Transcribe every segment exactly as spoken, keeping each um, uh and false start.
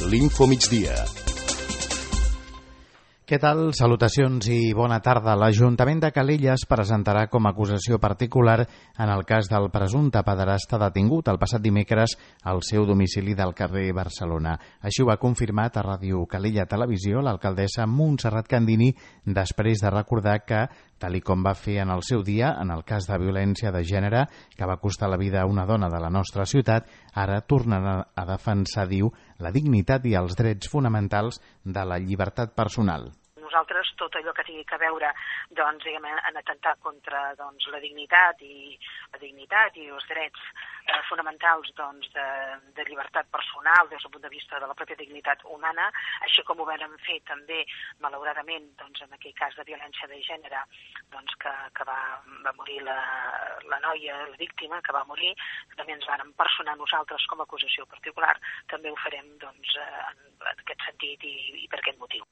l'Infomigdia. Què tal? Salutacions i bona tarda. L'Ajuntament de Calella es presentarà com a acusació particular en el cas del presumpte pederasta detingut el passat dimecres al seu domicili del carrer Barcelona. Així ho ha confirmat a Ràdio Calella Televisió l'alcaldessa Montserrat Candini després de recordar que, tal i com va fer en el seu dia en el cas de violència de gènere que va costar la vida a una dona de la nostra ciutat, ara tornarà a defensar, diu, la dignitat i els drets fonamentals de la llibertat personal. Nosaltres, tot allò que tingui que veure doncs, diguem, en atemptar contra doncs, la dignitat i la dignitat i els drets eh, fonamentals doncs, de, de llibertat personal des del punt de vista de la pròpia dignitat humana, així com ho vam fer també, malauradament, doncs, en aquell cas de violència de gènere, doncs, que, que va, va morir la, la noia, la víctima, que va morir, també ens vàrem personar nosaltres com a acusació particular, també ho farem doncs, en, en aquest sentit i, i per aquest motiu.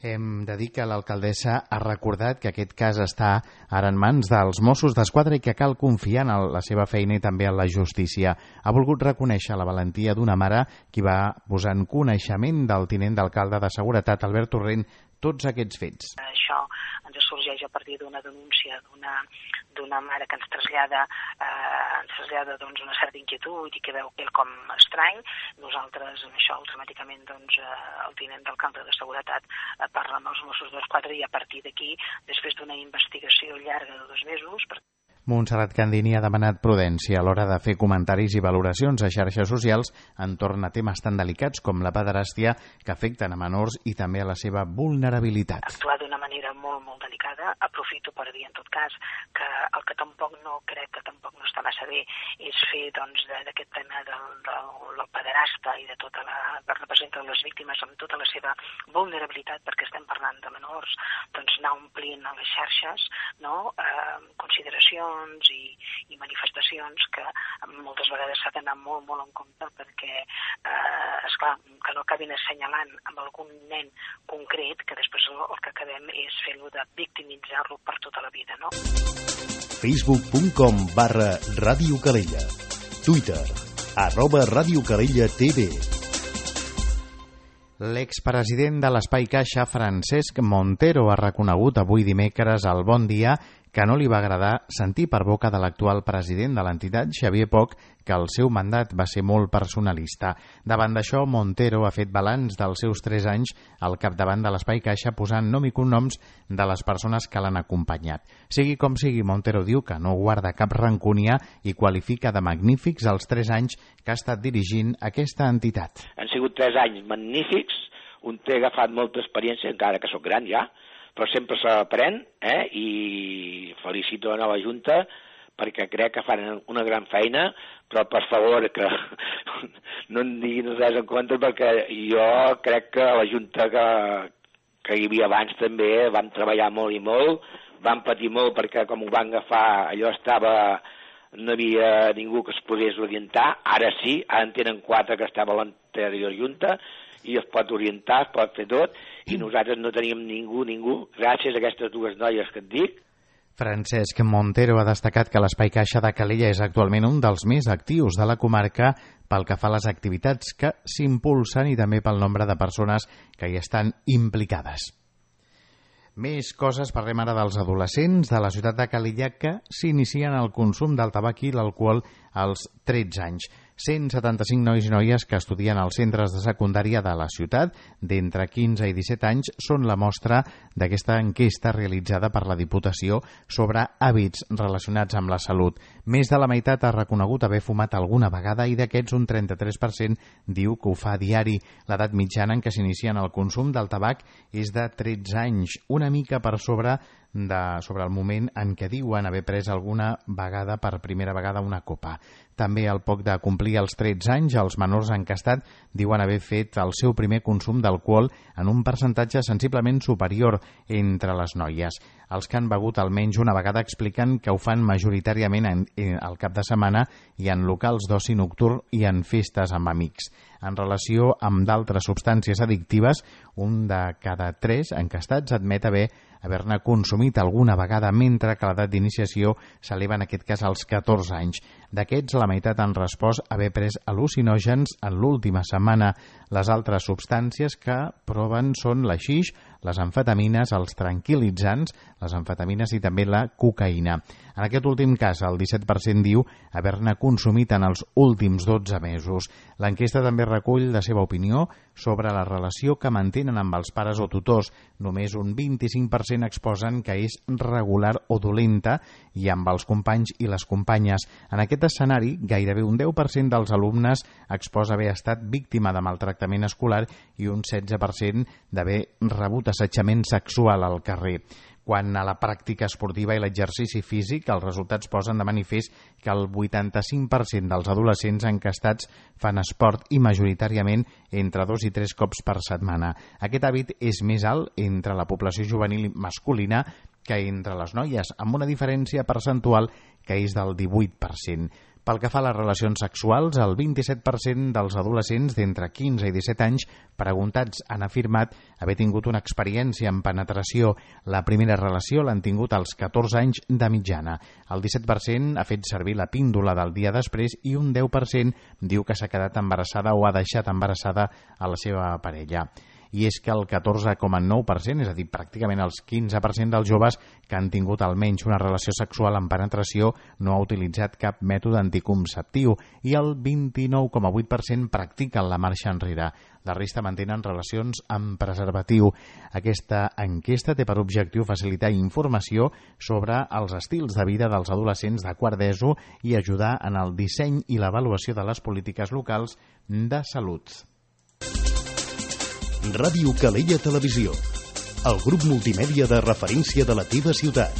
Hem de dir que l'alcaldessa ha recordat que aquest cas està ara en mans dels Mossos d'Esquadra i que cal confiar en la seva feina i també en la justícia. Ha volgut reconèixer la valentia d'una mare qui va posar en coneixement del tinent d'alcalde de Seguretat, Albert Torrent, tots aquests fets. Això ens sorgeix a partir d'una denúncia d'una d'una mare que ens trasllada, eh, ens trasllada doncs, una certa inquietud i que veu quelcom estrany. Nosaltres, amb això, automàticament, doncs, eh, el tinent d'alcalde de Seguretat eh, parla amb els Mossos d'Esquadra i a partir d'aquí, després d'una investigació llarga de dos mesos... Per... Montserrat Candini ha demanat prudència a l'hora de fer comentaris i valoracions a xarxes socials entorn a temes tan delicats com la pederàstia que afecten a menors i també a la seva vulnerabilitat. Actuar d'una manera molt, molt delicada. Aprofito per dir, en tot cas, que el que tampoc no crec que tampoc no està massa bé és fer doncs, d'aquest tema del, del, del pederasta i de tota la que representa les víctimes amb tota la seva vulnerabilitat, perquè estem parlant de menors, doncs anar omplint a les xarxes, no? eh, consideracions I, i manifestacions que moltes vegades s'ha d'anar molt, molt en compte perquè, eh, esclar, que no acabin assenyalant amb algun nen concret que després el, el que acabem és fer-lo de victimitzar-lo per tota la vida, no? facebook punt com barra Ràdio Calella. Twitter, arroba Ràdio Calella T V. L'expresident de l'Espai Caixa, Francesc Montero, ha reconegut avui dimecres al Bon Dia que no li va agradar sentir per boca de l'actual president de l'entitat, Xavier Poch, que el seu mandat va ser molt personalista. Davant d'això, Montero ha fet balanç dels seus tres anys al capdavant de l'Espai Caixa posant nom i cognoms de les persones que l'han acompanyat. Sigui com sigui, Montero diu que no guarda cap rancúnia i qualifica de magnífics els tres anys que ha estat dirigint aquesta entitat. Han sigut tres anys magnífics, un té agafat molta experiència, encara que sóc gran ja, però sempre s'aprèn, eh? I felicito la nova Junta perquè crec que fan una gran feina, però per favor que no en diguin res en compte perquè jo crec que la Junta que, que hi havia abans també vam treballar molt i molt, vam patir molt perquè com ho van agafar allò estava, no hi havia ningú que es pogués orientar, ara sí, ara en tenen quatre que estava a l'anterior Junta, i es pot orientar, es pot fer tot, i nosaltres no teníem ningú, ningú, gràcies a aquestes dues noies que et dic. Francesc Montero ha destacat que l'Espai Caixa de Calella és actualment un dels més actius de la comarca pel que fa a les activitats que s'impulsen i també pel nombre de persones que hi estan implicades. Més coses, parlem ara dels adolescents de la ciutat de Calella que s'inicien el consum del tabac i l'alcohol als tretze anys. cent setanta-cinc nois i noies que estudien als centres de secundària de la ciutat d'entre quinze i disset anys són la mostra d'aquesta enquesta realitzada per la Diputació sobre hàbits relacionats amb la salut. Més de la meitat ha reconegut haver fumat alguna vegada i d'aquests un trenta-tres per cent diu que ho fa a diari. L'edat mitjana en què s'inicien el consum del tabac és de tretze anys, una mica per sobre de, sobre el moment en què diuen haver pres alguna vegada per primera vegada una copa. També al poc de complir els tretze anys, els menors encastats diuen haver fet el seu primer consum d'alcohol en un percentatge sensiblement superior entre les noies. Els que han begut almenys una vegada expliquen que ho fan majoritàriament en, en, al cap de setmana i en locals d'oci nocturn i en festes amb amics. En relació amb d'altres substàncies addictives, un de cada tres encastats admet haver haver-ne consumit alguna vegada, mentre que l'edat d'iniciació s'eleva en aquest cas als catorze anys. D'aquests, la la meitat han respost haver pres al·lucinògens en l'última setmana. Les altres substàncies que proven són la xix, les amfetamines, els tranquil·litzants, les amfetamines i també la cocaïna. En aquest últim cas, el disset per cent diu haver-ne consumit en els últims dotze mesos. L'enquesta també recull la seva opinió sobre la relació que mantenen amb els pares o tutors. Només un vint-i-cinc per cent exposen que és regular o dolenta i amb els companys i les companyes. En aquest escenari, gairebé un deu per cent dels alumnes exposa haver estat víctima de maltractament escolar i un setze per cent d'haver rebut assetjament sexual al carrer. Quant a la pràctica esportiva i l'exercici físic, els resultats posen de manifest que el vuitanta-cinc per cent dels adolescents encastats fan esport i majoritàriament entre dos i tres cops per setmana. Aquest hàbit és més alt entre la població juvenil masculina que entre les noies, amb una diferència percentual que és del divuit per cent. Pel que fa a les relacions sexuals, el vint-i-set per cent dels adolescents d'entre quinze i disset anys preguntats han afirmat haver tingut una experiència en penetració. La primera relació l'han tingut als catorze anys de mitjana. El disset per cent ha fet servir la píndola del dia després i un deu per cent diu que s'ha quedat embarassada o ha deixat embarassada a la seva parella. I és que el catorze coma nou per cent, és a dir, pràcticament el quinze per cent dels joves que han tingut almenys una relació sexual amb penetració no ha utilitzat cap mètode anticonceptiu i el vint-i-nou coma vuit per cent practiquen la marxa enrere. La resta mantenen relacions amb preservatiu. Aquesta enquesta té per objectiu facilitar informació sobre els estils de vida dels adolescents de quart d'ESO i ajudar en el disseny i l'avaluació de les polítiques locals de salut. Ràdio Calella Televisió, el grup multimèdia de referència de la teva ciutat.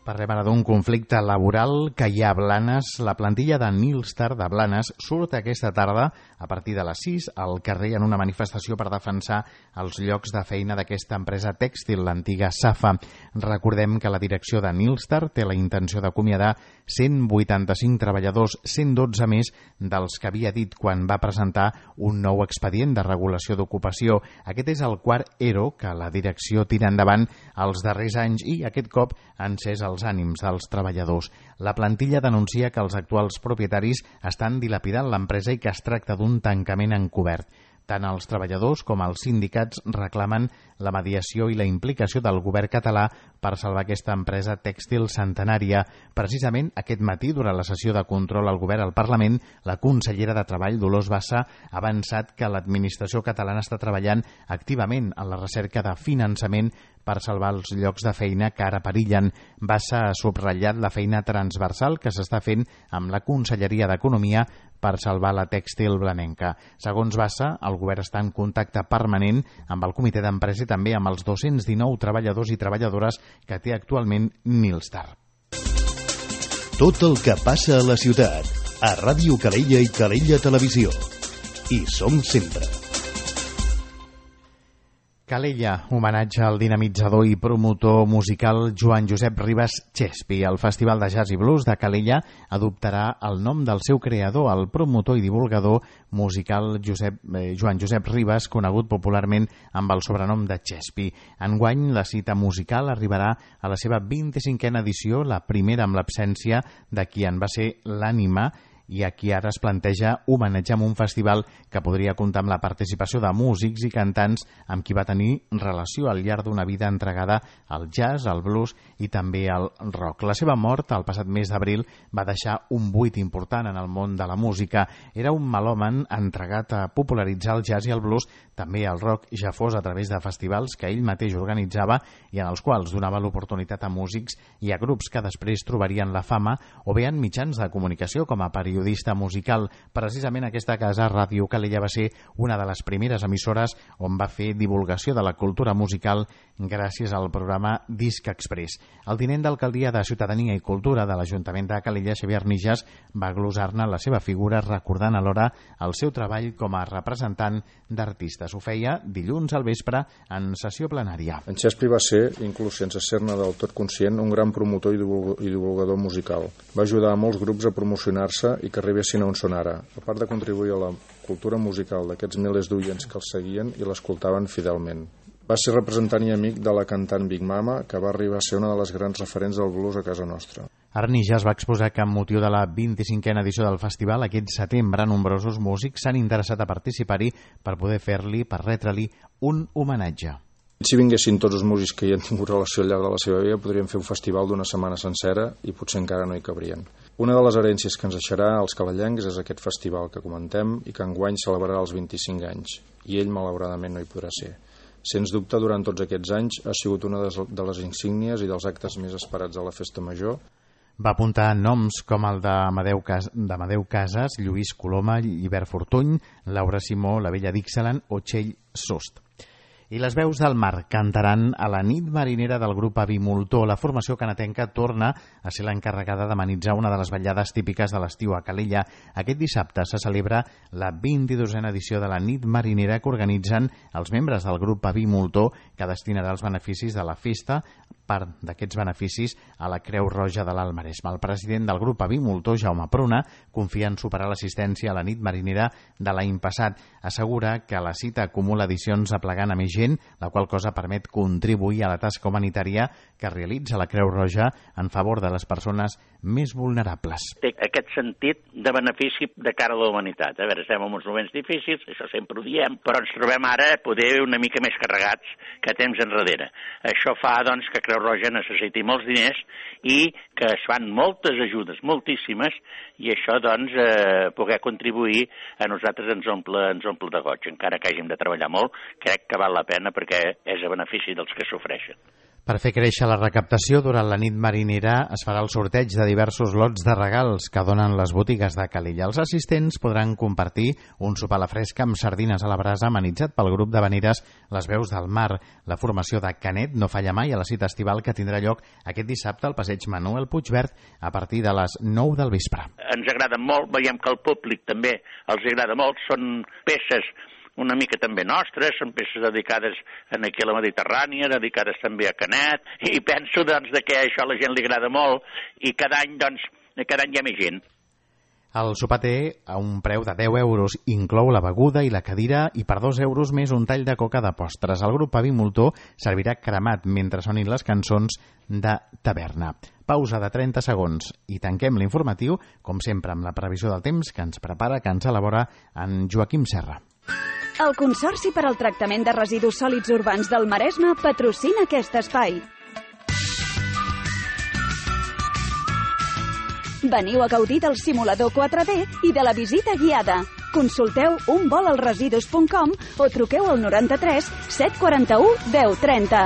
Parlem ara d'un conflicte laboral que hi ha a Blanes. La plantilla de Nilstar de Blanes surt aquesta tarda a partir de les sis al carrer en una manifestació per defensar els llocs de feina d'aquesta empresa tèxtil, l'antiga Safa. Recordem que la direcció de Nilstar té la intenció d'acomiadar cent vuitanta-cinc treballadors, cent dotze més dels que havia dit quan va presentar un nou expedient de regulació d'ocupació. Aquest és el quart E R O que la direcció tira endavant els darrers anys i aquest cop ha encès el els ànims dels treballadors. La plantilla denuncia que els actuals propietaris estan dilapidant l'empresa i que es tracta d'un tancament encobert. Tant els treballadors com els sindicats reclamen la mediació i la implicació del govern català per salvar aquesta empresa tèxtil centenària. Precisament aquest matí, durant la sessió de control al govern al Parlament, la consellera de Treball, Dolors Bassa, ha avançat que l'administració catalana està treballant activament en la recerca de finançament per salvar els llocs de feina que ara perillen. Bassa ha subratllat la feina transversal que s'està fent amb la Conselleria d'Economia per salvar la tèxtil blanenca. Segons Bassa, el govern està en contacte permanent amb el comitè d'empresa i també amb els dos-cents dinou treballadors i treballadores que té actualment Nilstar. Tot el que passa a la ciutat, a Ràdio Calella i Calella Televisió. Hi som sempre. Calella, homenatge al dinamitzador i promotor musical Joan Josep Ribas Chespi. El Festival de Jazz i Blues de Calella adoptarà el nom del seu creador, el promotor i divulgador musical Josep, eh, Joan Josep Ribas, conegut popularment amb el sobrenom de Chespi. Enguany, la cita musical arribarà a la seva vint-i-cinquena edició, la primera amb l'absència de qui en va ser l'ànima i a qui ara es planteja homenatjar amb un festival que podria comptar amb la participació de músics i cantants amb qui va tenir relació al llarg d'una vida entregada al jazz, al blues i també al rock. La seva mort, el passat mes d'abril, va deixar un buit important en el món de la música. Era un melòman entregat a popularitzar el jazz i el blues, també el rock, ja fos a través de festivals que ell mateix organitzava i en els quals donava l'oportunitat a músics i a grups que després trobarien la fama o bé en mitjans de comunicació com a periodista musical. Precisament aquesta casa, Ràdio Calella, va ser una de les primeres emissores on va fer divulgació de la cultura musical gràcies al programa Disc Express. El tinent d'alcaldia de Ciutadania i Cultura de l'Ajuntament de Calella, Xavier Nijas, va glosar-ne la seva figura recordant alhora el seu treball com a representant d'artistes. Ho feia dilluns al vespre en sessió plenària. En Chespi va ser, inclús sense ser-ne del tot conscient, un gran promotor i divulgador musical. Va ajudar a molts grups a promocionar-se i que arribessin a on són ara, a part de contribuir a la cultura musical d'aquests milers d'oients que el seguien i l'escoltaven fidelment. Va ser representant i amic de la cantant Big Mama, que va arribar a ser una de les grans referents del blues a casa nostra. Arnija es va exposar que amb motiu de la vint-i-cinquena edició del festival aquest setembre nombrosos músics s'han interessat a participar-hi per poder fer-li, per retre-li un homenatge. Si vinguessin tots els músics que hi han tingut relació al llarg de la seva vida, podríem fer un festival d'una setmana sencera i potser encara no hi cabrien. Una de les herències que ens deixarà als calellencs és aquest festival que comentem i que enguany celebrarà els vint-i-cinc anys, i ell malauradament no hi podrà ser. Sens dubte, durant tots aquests anys ha sigut una de les insígnies i dels actes més esperats de la Festa Major. Va apuntar noms com el d'Amadeu Cas Casas, Lluís Coloma, Llibert Fortuny, Laura Simó, la Vella Dixalan o Txell Sost. I les veus del mar cantaran a la nit marinera del grup Avimultó. La formació canatenca torna a ser l'encarregada d'amenitzar una de les ballades típiques de l'estiu a Calella. Aquest dissabte se celebra la vint-i-dosena edició de la nit marinera que organitzen els membres del grup Avimultó, que destinarà els beneficis de la festa, part d'aquests beneficis, a la Creu Roja de l'Alt Maresme. El president del grup Avimultó, Jaume Pruna, confia en superar l'assistència a la nit marinera de l'any passat. Assegura que la cita acumula edicions aplegant a més gent, la qual cosa permet contribuir a la tasca humanitària que realitza la Creu Roja en favor de les persones més vulnerables. Té aquest sentit de benefici de cara a la humanitat. A veure, estem en uns moments difícils, això sempre ho diem, però ens trobem ara poder una mica més carregats que temps enrere. Això fa, doncs, que Creu Roja necessiti molts diners i que es fan moltes ajudes, moltíssimes, i això, doncs, eh, poder contribuir a nosaltres ens omple, ens omple de goig. Encara que hàgim de treballar molt, crec que val la pena perquè és a benefici dels que sofreixen. Per fer créixer la recaptació, durant la nit marinera es farà el sorteig de diversos lots de regals que donen les botigues de Calella. Els assistents podran compartir un sopar a la fresca amb sardines a la brasa amenitzat pel grup de veneres Les Veus del Mar. La formació de Canet no falla mai a la cita estival que tindrà lloc aquest dissabte al passeig Manuel Puigverd a partir de les nou del vespre. Ens agraden molt, veiem que el públic també els agrada molt, són peces una mica també nostres, són peces dedicades aquí a la Mediterrània, dedicades també a Canet, i penso doncs que això a la gent li agrada molt i cada any doncs cada any hi ha més gent. El sopar té a un preu de deu euros, inclou la beguda i la cadira i per dos euros més un tall de coca de postres. El grup Avimultó servirà cremat mentre sonin les cançons de taverna. Pausa de trenta segons i tanquem l'informatiu, com sempre, amb la previsió del temps que ens prepara, que ens elabora en Joaquim Serra. El Consorci per al Tractament de Residus Sòlids Urbans del Maresme patrocina aquest espai. Veniu a gaudir del simulador quatre D i de la visita guiada. Consulteu un vol als residus punt com o truqueu al noranta-tres set quaranta-u deu trenta.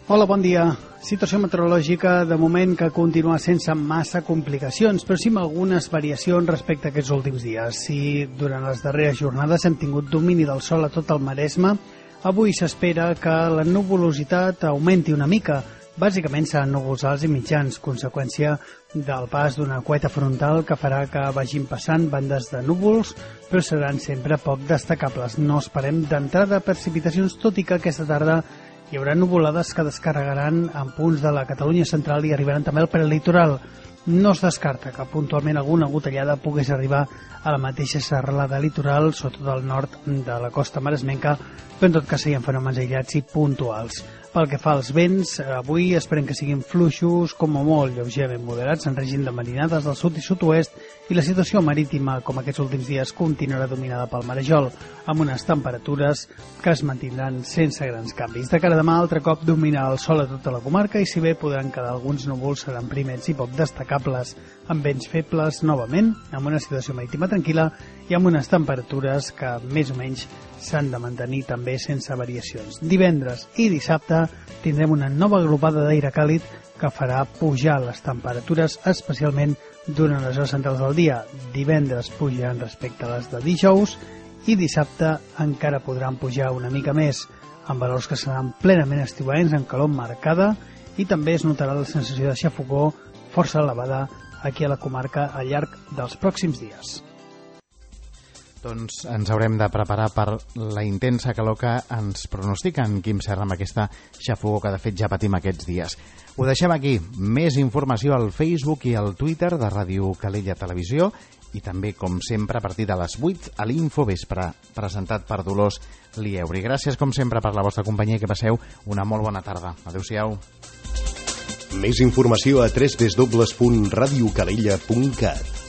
Hola, bon dia. Situació meteorològica de moment que continua sense massa complicacions, però sí amb algunes variacions respecte a aquests últims dies. Si durant les darreres jornades hem tingut domini del sol a tot el Maresme, avui s'espera que la nuvolositat augmenti una mica. Bàsicament seran núvols alts i mitjans, conseqüència del pas d'una cueta frontal que farà que vagin passant bandes de núvols, però seran sempre poc destacables. No esperem d'entrada precipitacions, tot i que aquesta tarda hi haurà nuvolades que descarregaran en punts de la Catalunya central i arribaran també al prelitoral. No es descarta que puntualment alguna gotellada pogués arribar a la mateixa serralada litoral, sobretot al nord de la costa maresmenca, però en tot cas serien fenòmens aïllats i puntuals. Pel que fa als vents, avui esperem que siguin fluixos, com a molt lleugerament moderats, en règim de marinades del sud i sud-oest, i la situació marítima, com aquests últims dies, continuarà dominada pel marejol, amb unes temperatures que es mantindran sense grans canvis. De cara a demà, altre cop dominarà el sol a tota la comarca i si bé podran quedar alguns núvols, seran primers i poc destacables, amb vents febles novament, amb una situació marítima tranquil·la i amb unes temperatures que més o menys s'han de mantenir també sense variacions. Divendres i dissabte tindrem una nova glopada d'aire càlid que farà pujar les temperatures, especialment durant les hores centrals del dia. Divendres pujaran respecte a les de dijous i dissabte encara podran pujar una mica més, amb valors que seran plenament estiuencs, amb calor marcada, i també es notarà la sensació de xafogor força elevada aquí a la comarca al llarg dels pròxims dies. Doncs ens haurem de preparar per la intensa calor que ens pronostica en Quim Serra amb aquesta xafogor que de fet ja patim aquests dies. Ho deixem aquí. Més informació al Facebook i al Twitter de Ràdio Calella Televisió i també, com sempre, a partir de les vuit a l'Infovespre, presentat per Dolors Lieuri. Gràcies, com sempre, per la vostra companyia i que passeu una molt bona tarda. Adéu-siau. Més informació a w w w punt radio calella punt cat.